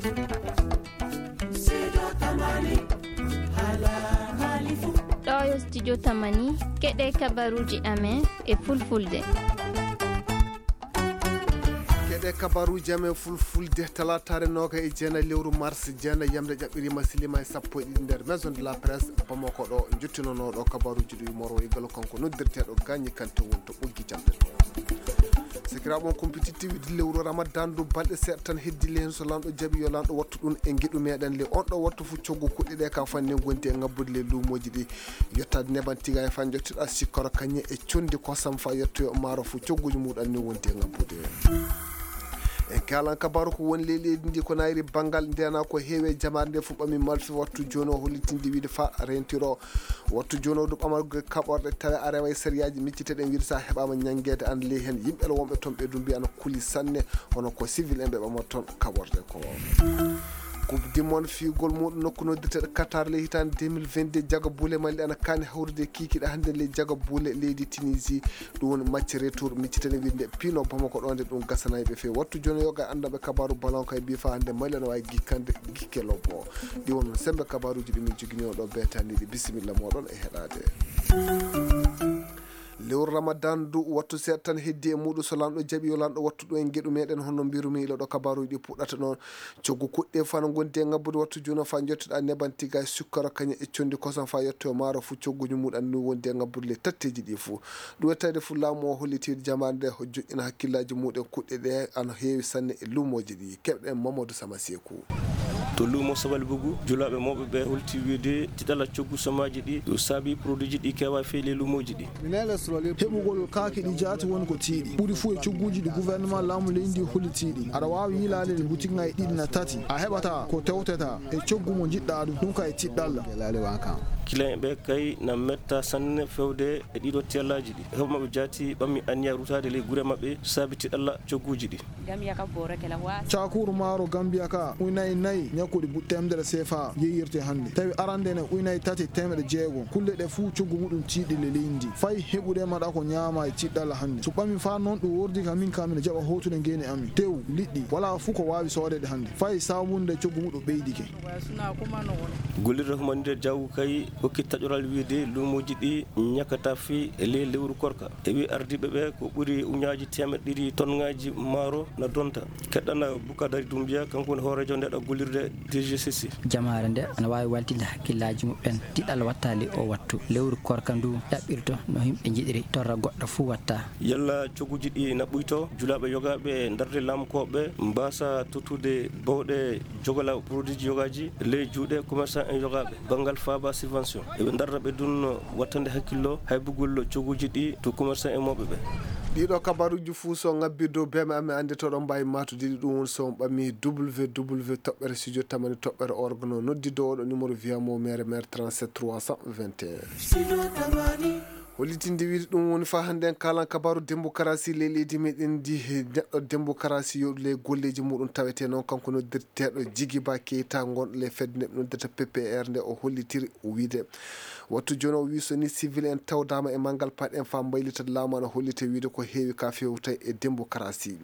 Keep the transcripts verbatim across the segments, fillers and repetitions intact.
Ɗo yo studio Tamani, keɗe kabaruuji amen e fulfulde. Keɗe kabaruuji amen fulfulde, talaataare noogaye e jeenayi lewru mars, jeenayi yamde ƴaɓɓiriima, siliima e sappo e ɗiɗi nder Maison de la Presse, Bamako ɗo, njottinanooɗo kabaruuji ɗi moro e galo kanko noddirteeɗo Gagny Kanté woni to ɓoggi jamɗe ɗo. Sakiraaɓe on kumpititti wiide lewru Ramadan ndu balɗe seeɗa tan heddi le heen so lanɗo jaɓi yo lanɗo wattu ɗum e ngeɗu meɗen le on ɗo wattu fof coggu kuɗɗe ɗe ka fanni gondi e ngabbude le luumooji ɗi. Yettaade neban tiga e fan jottiɗa sikkoro kañe e condi kosam fa yettoyo maaro fof cogguji muɗum ni wondi e ngabbude. En kalan kabaru ko woni ley leydi ndi ko nayri banngal ndena ko heewi e jamaare nde fof ɓami malfi wattu jooni o hollitinde wiide fa rentiro wattu jooni o ɗum ɓamargo kaɓorɗe tawe a rewa e sariyaaji micciteɗen wiide sa heɓama ñanngeede an ley heen yimɓe wonɓe toon ɓe ɗum mbiya no kuli sanne hono ko civil en ɓe ɓamata toon kaɓorɗe ko. Coupe du monde fiyugol muɗum nokku noddirteɗo Qatar ley hitaande deux mille vingt-deux jaga buule Mali ana kaani hawrude kiikiiɗe hannde ley jaga buule leydi Tunisie. Ɗum woni match retour miccitene winde pino Bamako ɗo nde ɗum gasanayi ɓe fewi wattu jooni yoga anndanɓe kabaru ballon kay mbi fa hannde Mali ana wawi gikkande gikke lobbo. Ɗi won sembe kabaruji ɗi min jogini oɗo betaniɗi bisimilla moɗon e heɗade. Lewru Ramadan du wattu seeɗa tan heddi e muɗum so lanɗo jaɓi yo lanɗo wattu ɗum en geɗu meɗen hono mbirumi ila ɗo kabaruji ɗi puɗɗata ɗon. Coggu kuɗɗe fano gondi e ngabbude wattu juno fa jottoɗa neban tiga e sukkara kaña e condi kosan fa yetto e maaro fu cogguji muɗan ni wondi e ngabbude le tatteji ɗi fu. Ɗum wettade fu laamu o holliti jamaare nde joƴƴina hakkillaji muɗen kuɗɗe ɗe ana heewi sanne e lumoji ɗi keɓɗen Mamadou Sama Seku. To lumo Sabal Bugu julaaɓe mawɓe ɓe holti wiide tiɗala coggu somaaji ɗi ɗum saabi produit ji ɗi kewa feeli e lumoji ɗi. Heɓugol kaake ɗi jaati woni ko tiiɗi ɓuri fuu e cogguuji ɗi gouvernement laamu leydi ndi hollitiiɗi aɗa waawi yiilaade ɗe boutique ŋaaji ɗiɗi na tati a heɓata ko tewteta e coggu mo njiɗɗa ɗum ɗum ka e tiɗɗalla. Kilayen ɓe kay na metta sanne fewde e ɗiɗo tellaaji ɗi heɓa maɓɓe jaati ɓammi anniya rutaade ley gure maɓɓe saabi tiɗalla cogguuji ɗi. Cakuru maaro Gambiya ka unayi nayi ñakkuɗi buɗ temedere sefa yeeyirte hannde tawi arande ne unayi tati temedere jeego kulle ɗe fuu coggu muɗum tiiɗi le leydi ndi fay heɓude maɗa ko ñaama e tiɗɗalla hannde so ɓami fa noon ɗum wordi ka min ka mino jaɓa hootude ngeeni amin tew liɗɗi wala fuu ko waawi soodeede hannde fay saabunde coggu muɗum ɓeydike. Gollirde humanitaire jawgu kay hokki taƴoral wiide luumoji ɗi ñakkata fii e ley lewru korka e wi ardiiɓe ɓe ko ɓuri uñaaji teemeɗɗe ɗiɗi tonŋaaji maaro na donta. Keɗɗana Bukadari Dumbiya kanko woni hooreejo ndeɗo gollirde D G C C. Jamaare nde ana waawi waltinde hakkillaaji muɓɓen tiɗal wattaali o wattu lewru korka ndu ɗaɓɓirto no yimɓe njiɗiri torra goɗɗo fuu watta. Yalla cogguuji ɗi na ɓuyto julaaɓe yogaaɓe ndarde laamukooɓe mbaasa tottude bawɗe jogala produitji yogaaji ley juuɗe commerçant en yogaaɓe banngal faaba subvention eɓe ndarda ɓe ɗum wattande hakkillo haybugol cogguuji ɗi to commerçant en mawɓe ɓe. Ɗiɗo kabaruuji fuu so ngabbi dow beeme amen anndi to ɗon mbaawi maatude ɗi ɗum woni so on ɓami www toɓɓere studio tamani toɓɓere org no noddi dow oɗo numéro wiyamo mere mere trente-sept trois cent vingt et un. Hollitinde wiide ɗum woni fa hannde en kalan kabaru démocratie ley leydi meɗen ndi neɗɗo démocratie yoɗu ley golleji muɗum tawete noon kanko noddirteɗo Jigiba Keita gonɗo ley fedde nde ɓe noddirta P P R nde o hollitiri wiide wattu jooni o wi so ni civil en tawdama e manngal paɗen fa mbaylita laamu ana hollite wiide ko heewi ka fewta e démocratie.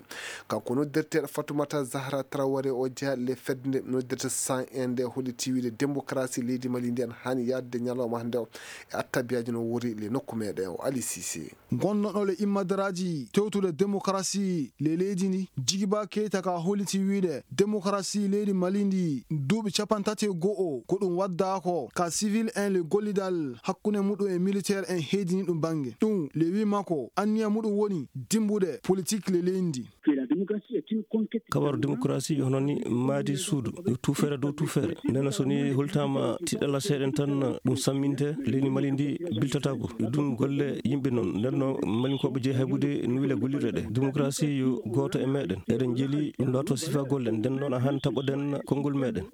Kanko noddirteɗo Fatoumata Zahra Traoré o jeeya le fedde nde noddirta san en nde holliti wiide démocratie leydi Mali ndi ana haani yaadde ñalawma hannde o e attabiyaji no wori le nokku meɗen o Ali Cissé. Gonnoɗo le immadaraaji tewtude démocratie le leydi ndi Jigiba Keita ka holliti wiide démocratie leydi Mali ndi duuɓi capantati e go'o ko ɗum waddaako ka civil en le gollidal hakkunde muɗum e militaire en heedini ɗum bannge ɗum le wi makko anniya muɗum woni dimbude politique le leydi ndi. Kabaru démocratie yo hono ni maadi suudu yo tuufere dow tuufere ndena so ni holtama tiɗɗala seeɗen tan ɗum samminte leydi Mali ndi biltatako e ɗum golle yimɓe noon ndenno malinkoɓe jeeyi haybude nuwile gollirɗe ɗe démocratie yo gooto e meɗen eɗen jeeli ɗum laato sifa golle nden noon a han taɓoɗen konngol meɗen.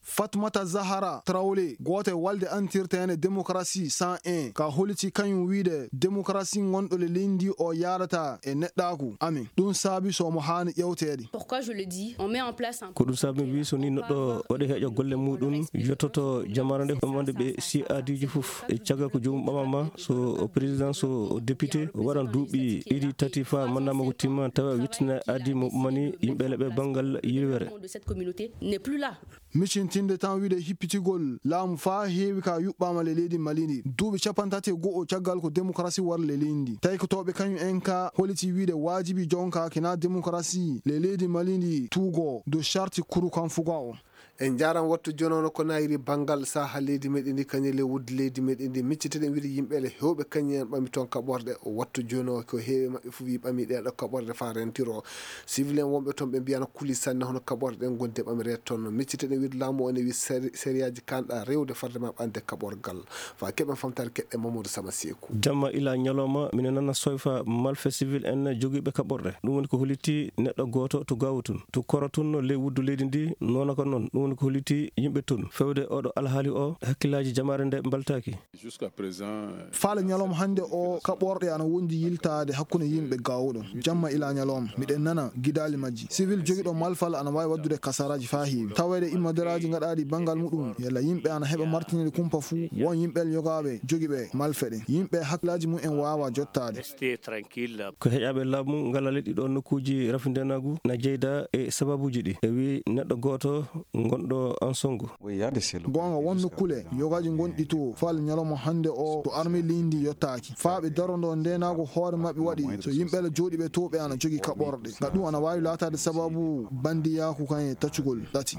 Fatmata Zahara Traoré, gooto e walde antirteene démocratie cent un, ka holiti kañum wiide démocratie ngonɗo le leydi o yaadata e neɗɗaaku amen. Ɗum saabi so mo haani ƴewteede. Pourquoi je le dis? On met en place un Ko ɗum saabi mi wi so ni neɗɗo waɗi heeƴo golle muɗum, yottoto jamaare nde, ɗum wonde ɓe si aadiiji fof. E caggal ko joomum ɓamama, so président, so député, o waɗan duuɓi ɗiɗi, tati, fa mandat makko timma, tawa wittina aadi mo ɓamani yimɓe leɓe banngal yirwere. De cette communauté n'est plus là. Micintinde tan wiide hippitigol laamu faa heewi ka yuɓɓaama le leydi Mali ndi. Duuɓi capanɗe tati e go'o caggal ko démocratie war le leydi ndi. Taykotooɓe kañum en ka holiti wiide waajibi jonka kina démocratie le leydi Mali ndi tuugo dow charte kuru kan fuga o. En njaran wattu jooni on ko nayiri banngal saha leydi meɗen ndi kañum le wuddi leydi meɗen ndi. Micciteɗen wiide yimɓe le hewɓe kañum en ɓami toon kaɓorɗe. Wattu jooni o ko heewi maɓɓe fof wi ɓami ɗeɗo kaɓorɗe fa rentiro. Civil en wonɓe toon ɓe mbiyano kuli sanne hono kaɓorɗe ɗen gonde ɓamire toon. Micciteɗen wiide laamu o ne wi seri-, seriyaaji kanɗa rewde farde ma ɓande kaɓorgal. Fa keɓen famtare keɓɓe Mamadou Sama Seeku. Jamma ila ñalawma, mine nana soyfa malfe civil en jogiiɓe kaɓorɗe. Ɗum woni ko holiti neɗɗo gooto to Gaawo tun, to Koro tun, no ley wuddu leydi ndi, noona ko noon. Ɗum woni ko holiti yimɓe tun. Fewde oɗo alhaali o, hakkillaaji jamaare nde mbaltaaki. Jusqu'à présent, euh, Faale ñalawma hannde o, kaɓorɗe ana wondi yiltaade hakkunde yimɓe Gaawo ɗon. Jamma ila ñalawma, miɗen nana gidaali majji. Civil jogiiɗo malfal ana waawi waddude kasaraaji faa heewi. Taweede immaderaaji ngaɗaaɗi banngal muɗum, yalla yimɓe ana heɓa martinirɗe kumpa fuu, won yimɓe yogaaɓe jogiiɓe malfe ɗen. Yimɓe hakkillaaji mum en waawa jottaade. Restez tranquille. Ko heƴaaɓe laamu ngalale ɗiɗo nokkuuji rafi ndeenaagu na jeyda e sababuuji ɗi. E wi neɗɗo gooto ngonɗo Ansongo. Goonga, won nokkule yogaaji ngonɗi to faale ñalawma hannde o to armée leydi ndi yottaaki. Faa ɓe darondo ndeenaagu hoore maɓɓe waɗi so yimɓe la jooɗiiɓe to ɓe ana jogii kaɓorɗe. Nga ɗum ana waawi laataade sababu bandiyaaku kan e taccugol ɗati.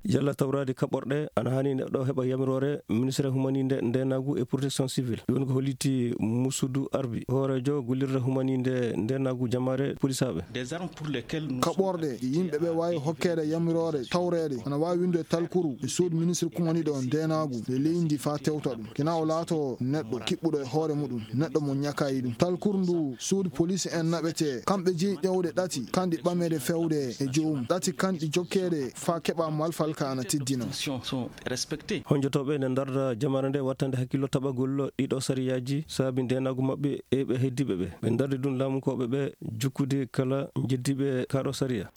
Yalla tawraade kaɓorɗe ana haani neɗɗo heɓa yamiroore ministre humaninde ndeenaagu e protection civile. Ɗum ko holliti Musudu Arbi, hooreejo gollirde humaninde ndeenaagu jamaare polisaaɓe. Des armes pour lesquelles nous sommes Kaɓorɗe ɗe yimɓe ɓe waawi hokkeede yamiroore tawreede ana waawi winndude talkuru e suudu ministre kumaniiɗo ndeenaagu e leydi ndi faa tewta ɗum. Kina o laato neɗɗo kiɓɓuɗo e hoore muɗum, neɗɗo mo ñakayi ɗum. Talkuru ndu suudu police en naɓete, kamɓe jeyi ƴewde ɗati, kanɗi ɓameede fewde e joomum. Ɗati kanɗi jokkeede faa keɓa malfal ka ana teddina. Sont, sont respectés. Honjotooɓe ne ndarda jamaare nde wattande hakkillo taɓagol ɗiɗo sariyaaji saabi ndeenaagu maɓɓe e ɓe heddiiɓe ɓe. Ɓe ndardi ɗum laamunkooɓe ɓe jukkude kala jeddiiɓe kaaɗo sariya.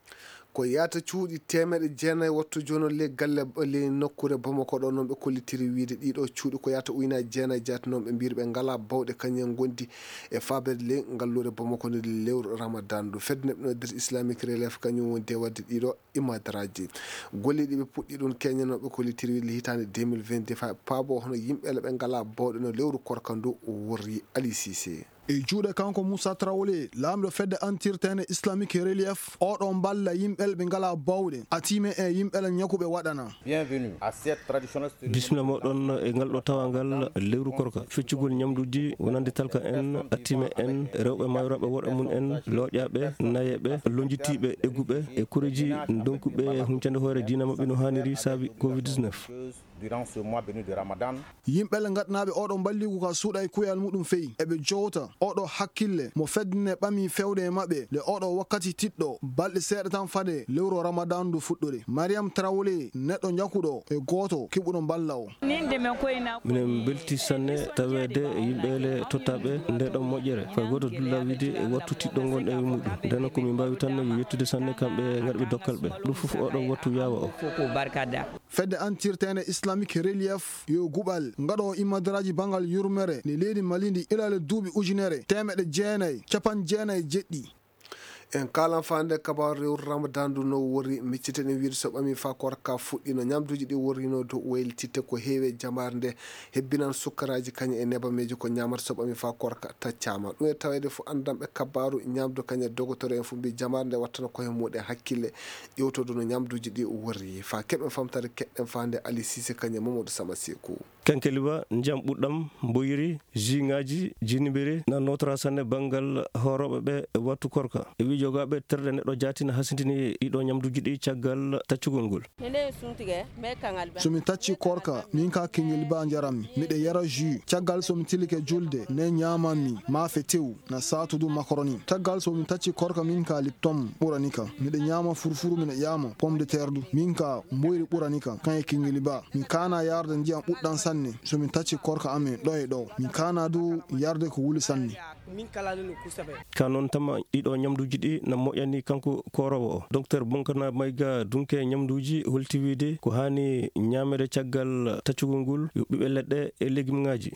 Ko yaata cuuɗi teemeɗe jeenayi wattu jooni ley galle, ley nokkuure Bamako ɗo, noon ɓe kollitiri wiyde ɗiɗo cuuɗi ko yaata ujunaaji jeenayi jaati, noon ɓe mbiyri ɓe ngalaa bawɗe kañum en ngondi e faabeede ley ngalluure Bamako nde lewru Ramadan ndu. Fedde neɗɗo Islamic Relief kañum woni de waɗde ɗiɗo imadaraaji. Golleeji ɗi ɓe puɗɗi ɗum keñanooɓe ko litiri hitaande deux mille vingt-deux fa paabo hono yimɓe le ɓe ngalaa bawɗe no lewru korka ndu worri. Ali Cissé. E juuɗe kanko Moussa Traoré, laamɗo fedde antirteene Islamic Relief, oɗo mballa yimɓe le ɓe ngalaa bawɗe, atime e yimɓe le ñakuɓe waɗana. Bienvenue à cette traditionnelle cérémonie. Bismilla moɗon e ngal ɗo tawangal lewru korka. Feccugol ñamduuji wonande talka en, atime en, rewɓe mayrooɓe worɓe mum en, looƴaaɓe, nayeeɓe, lonjitiiɓe, egguɓe e koreeji ndonkuɓe huncande hoore diina maɓɓe no haaniri saabi covid dix-neuf. Durant ce mois béni de Ramadan. Yimɓe le ngaɗanaaɓe oɗo mballigu ka suuɗa e kuyal muɗum feyi. Eɓe jowta oɗo hakkille mo fedde ne ɓami fewde e maɓɓe le oɗo wakkati tiɗɗo balɗe seeɗa tan fade lewru Ramadan ndu fuɗɗude. Mariam Traoré, neɗɗo ñakuɗo e gooto kiɓuɗo mballa o. Minen mbelti sanne taweede e yimɓe le tottaaɓe nde ɗon moƴƴere. Fay gooto dulla wiide e wattu tiɗɗo ngonɗo e muɗum. Ndeno ko min mbaawi tan yo yettude sanne kamɓe ngarɓe dokkal ɓe. Ɗum fof oɗo wattu yaawa o. Fedde antirteende Islamic Relief yo guɓal ngaɗo imadaraaji banngal yurmere ne leydi Mali ndi ilale duuɓi ujunere teemeɗe jeenayi capanɗe jeenayi e jeɗɗi. En kaalan faande kabaaru lewru Ramadan ndu no worri, micciten e wiide so ɓami faa korka fuɗɗino, ñamduuji ɗi worrino dow waylititte ko heewi e jamaare nde, hebbinan sukkaraaji kañum e nebameeji ko ñaamata so ɓami faa korka taccaama. Ɗum e taweede fof anndanɓe kabaaru ñamdu kañum e dogotoro en fof mbii jamaare nde wattana koye muɗum hakkille, ƴewtodo no ñamduuji ɗi worri. Faa keɓen famtare keɗɗen faande Ali Cissé kañum e Mamadou Sama Seeku. Kenkeliba, ndiyam ɓuɗɗam, mboyri, jus ŋaaji, jinibere, na nootora sanne banngal hoorooɓe ɓe e wattu korka. E wiijo Yogaaɓe terɗe neɗɗo jaati na hasindini ɗiɗo ñamduuji ɗi caggal taccugol ngol. So mi tacci korka, min ka kingel ba njaram mi, miɗa yara jus. Caggal so mi tilike julde, ne ñaman mi maafe tew, na saatu du makaroni. Caggal so mi tacci korka, min ka lipton ɓurani ka. Miɗa ñama furfuru, miɗa ñama pomme de terre du. Min ka mboyri ɓurani ka. Kan e kingel ba. Mi kana yarde ndiyam ɓuɗɗan sanne. So mi tacci korka amen ɗo e ɗo. Mi kana du yarde ko wuli sanne. Ka noon tama ɗiɗo ñamduuji ɗi na moƴƴani kanko kooroowo o. Docteur Bonkana Mayga dunke ñamduuji holti wiide ko haani ñaamere caggal taccugol ngol yo ɓiɓɓe leɗɗe e legimŋaaji.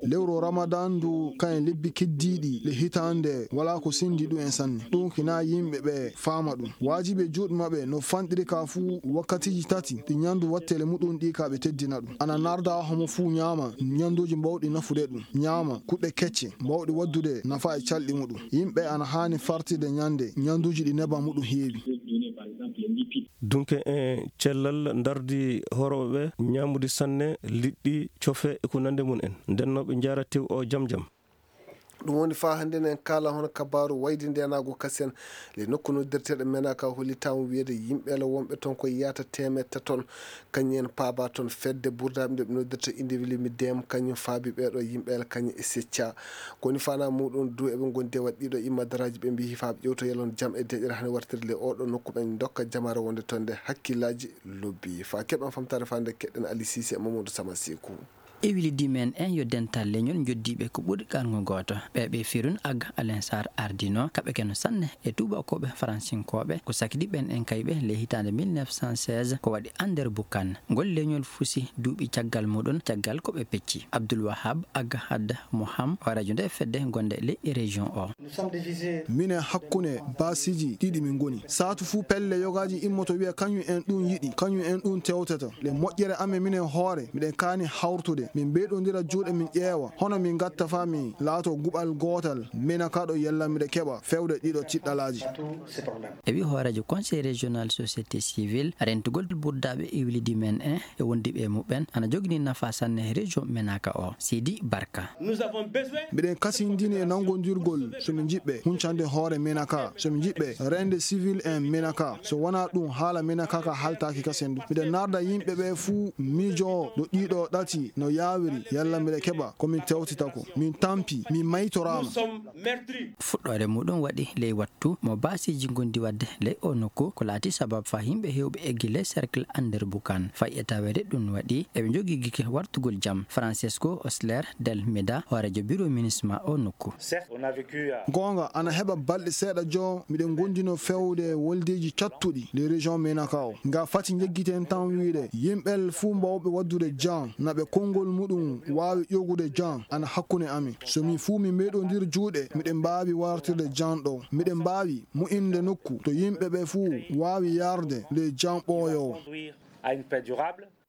Lewru Ramadan ndu kayen lebbi keddiiɗi le hitaande wala ko sendi ɗum en sanne. Ɗum kina yimɓe ɓe faama ɗum. Waajibi e juuɗe maɓɓe no fanɗiri ka fuu wakkatiiji tati ɗi ñandu wattele muɗum ɗi ka ɓe teddina ɗum. Ana narda homo fuu ñaama ñanduuji mbawɗi nafude ɗum. Ñaama kuɗɗe kecce mbawɗi waddude nafa e calɗi muɗum. Yimɓe ana haani fartirde ñande ñanduuji ɗi neba muɗum heewi. Dunke en cellal ndardi horooɓe ɓe ñaamude sanne liɗɗi, cofe e ko nande mum en. Nden no ɓe njaara tew o jam jam. Ɗum woni faa hannde en kaala hono kabaaru wayde ndeenaagu kasen le nokku noddirteeɗo Menaka holli taw wiyeede yimɓe le wonɓe toon ko yiyata teemedde tati toon. Kañum en paaba toon fedde burdaaɓe nde ɓe noddirta individu mi dem kañum faabi ɓeeɗo yimɓe le kañum e secca. Ko woni fana muɗum du eɓe ngondi e waɗ ɗiɗo immadaraaji ɓe mbiyi faa ɓe ƴewto yalon jam e deƴƴere hannde wartirde le oɗo nokku ɓen dokka jamaare wonde toon nde hakkillaaji lobbi. Faa keɓen famtaare faa nde keɗɗen Ali Sise e Mamadou Sama Seku. E wili dimen en yo dental leñol joddiiɓe ko ɓuri qarngo gooto. Ɓe ɓe firun ag Alain Sarr ardino, kaɓe keno sanne e tuubakooɓe faransinkooɓe, ko sakidi ɓen en kayɓe ley hitaande mille neuf cent seize, ko waɗi Ander Bukan. Ngol leñol fusi duuɓi caggal muɗum, caggal ko ɓe pecci. Abdoul Wahab ag Had Moham, o radio nde fedde gonde ley région o. Minen hakkunde baasiiji ɗiɗi min ngoni. Saatu fuu pelle yogaaji immoto wiya kañum en ɗum yiɗi, kañum en ɗum tewtata. Le moƴƴere amen minen hoore, miɗen kaani hawrutude. Min mbeyɗondira juuɗe min ƴeewa, hono min ngatta faa min laato guɓal gootal, minen ka ɗo yalla miɗa keɓa fewde ɗiɗo tiɗɗalaaji. E wi hooreejo Conseil régional société civile, rentugol burdaaɓe iwlidi men en e wondiiɓe e muɓɓen ana jogini nafa sanne région Menaka o. Sidi Barka. Miɗen kasindini e nanngondirgol so min njiɗɓe huncande hoore Menaka, so min njiɗɓe rende civil en Menaka. So wonaa ɗum, haala Menaka ka haltaaki kasen ɗum. Miɗen narda yimɓe ɓe fuu miijo ɗo ɗiɗo ɗati no yaawiri, yalla miɗa keɓa ko min tewtita ko. Min tampi, min maytoraama. Fuɗɗoore muɗum waɗi ley wattu mo baasiiji ngondi waɗde ley o nokku, ko laati sababu faa yimɓe heewɓe eggi ley cercle Ander Bukan. Fay e taweede ɗum waɗi eɓe njogii gike wartugol jam. Francesco Osler del Meda, hooreejo bureau ministre ma o nokku. Goonga, ana heɓa balɗe seeɗa jo, miɗen ngondino fewde woldeeji cattuɗi ley région Menaka o. Nga fati njeggiten tan wiide yimɓe fuu mbawɓe waɗdude jan, na ɓe konngol muɗum waawi ƴogude jan ana hakkunde amin. So min fuu min mbeyɗondir juuɗe, miɗen mbaawi wartirde jan ɗo. Miɗen mbaawi mo'inde nokku to yimɓe ɓe fuu waawi yarde ley jan ɓooyoowo.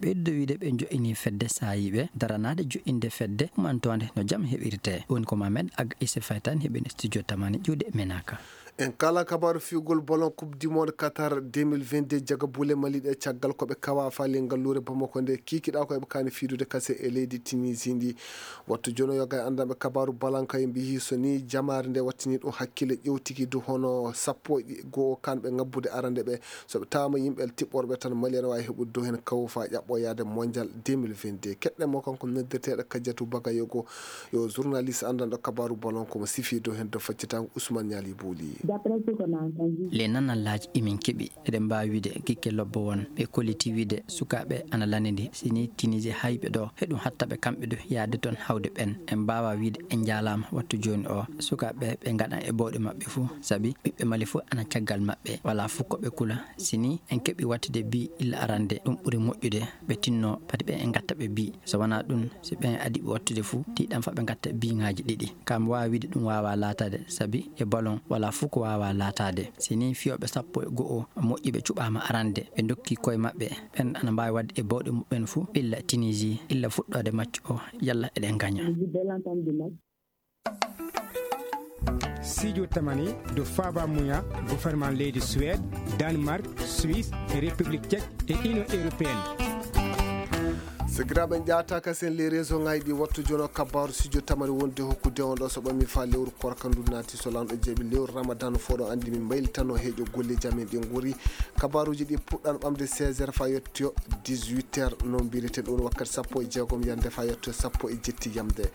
Ɓeydude wiide ɓe jo'ini fedde saayiiɓe daranaade jo'inde fedde humantoonde no jam heɓirtee. Woni ko Mohamed Ag Issa Faye tan heɓi e studio Tamani ƴuwde e Menaka. En kala kabaaru fiyugol bolon Coupe du Monde Qatar deux mille vingt-deux, jaga bule maliiɗe caggal ko ɓe kawa fali ngalluure Bamako nde kikiɗa ko eɓe kaani fiidude kase e leydi Tunisie ndi. Wattu jono yoga e anndanɓe kabaaru balanka e mbiyi so ni jamaare nde wattini ɗum hakkille ƴewtiki du hono sappo e goo kanɓe ngabbude arande ɓe. So ɓe tawama yimɓe tiɓɓorɓe tan, Mali ene wawi heɓude dow hen kawo fa ƴaɓɓo yaade mondial deux mille vingt-deux. Keɗɗen mo kanko noddirteɗo Kadiatou Bagayoko, yo journaliste anndanɗo kabaru ballon, komo sifi dow hen dow faccitango Ousmane Niali Bouli. D'après ce qu'on a entendu. Les nanallaaji emin keɓi, eɗen mbaawi wiide gikke lobbo won, ɓe kolliti wiide sukaaɓe ana lanndi, sini Tunisie hayɓe ɗo, heɗum hatta ɓe kamɓe du yaade toon hawde ɓen. En mbaawa wiide en njaalaama wattu jooni o, sukaaɓe ɓe ngaɗan e bawɗe maɓɓe fuu, sabi ɓiɓɓe Mali fuu ana caggal maɓɓe, walaa fuu ko ɓe kula. Si ni en keɓii waɗtude bi illa arande, ɗum ɓuri moƴƴude, ɓe tinno pati ɓen en ngatta ɓe bi. So wanaa ɗum, si ɓen adii ɓe waɗtude fuu, tiiɗan fa ɓe ngatta biŋaaji ɗiɗi. Ka mi waawi wiide ɗum waawaa laataade, sabi e ballon walaa fuu ko waawaa laataade. Si ni fiyooɓe sappo e go'o moƴƴuɓe cuɓaama arande, ɓe ndokki koye maɓɓe, ɓen ana mbaawi waɗde e bawɗe muɓɓen fuu, illa Tunisie, illa fuɗɗoode maccu o, yalla eɗen ngaña. Studio Tamani, ɗo faaba muya gouvernement leydi Suède, Danemark, Suisse, e République Tchèque e Union Européenne. Sakiraaɓe, en ƴaataaka sen les réseau ŋaaji ɗi wattu jono kabaaru studio tamani wonde hokkude on ɗo so ɓami faa lewru korka ndu naati so lanɗo jeeɓi lewru ramadan fof ɗo anndi min mbaylitanno heeƴo golleeji amen ɗi nguri. Kabaaruuji ɗi puɗɗan ɓamde seize heures faa yettoyo dix-huit heures no mbiriten ɗum wakkati sappo e jeegom yande faa yettoyo sappo e jetti yamde.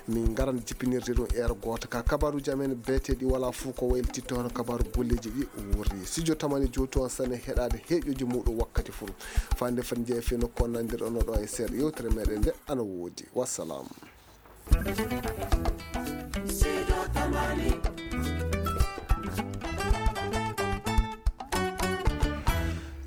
Min ngaran jippinirde ɗum heure gooto ka kabaaruuji amen beeteeɗi wala fof ko waylititto hono kabaaru golleeji ɗi wurri studio tamani jowtu on sane heɗaade heeƴooji muɗum wakkati fof. Fande fat jeeya fii nokku on nandirɗon ɗo e seeɗa yewtere meɗen nde ana woodi. Wassalam.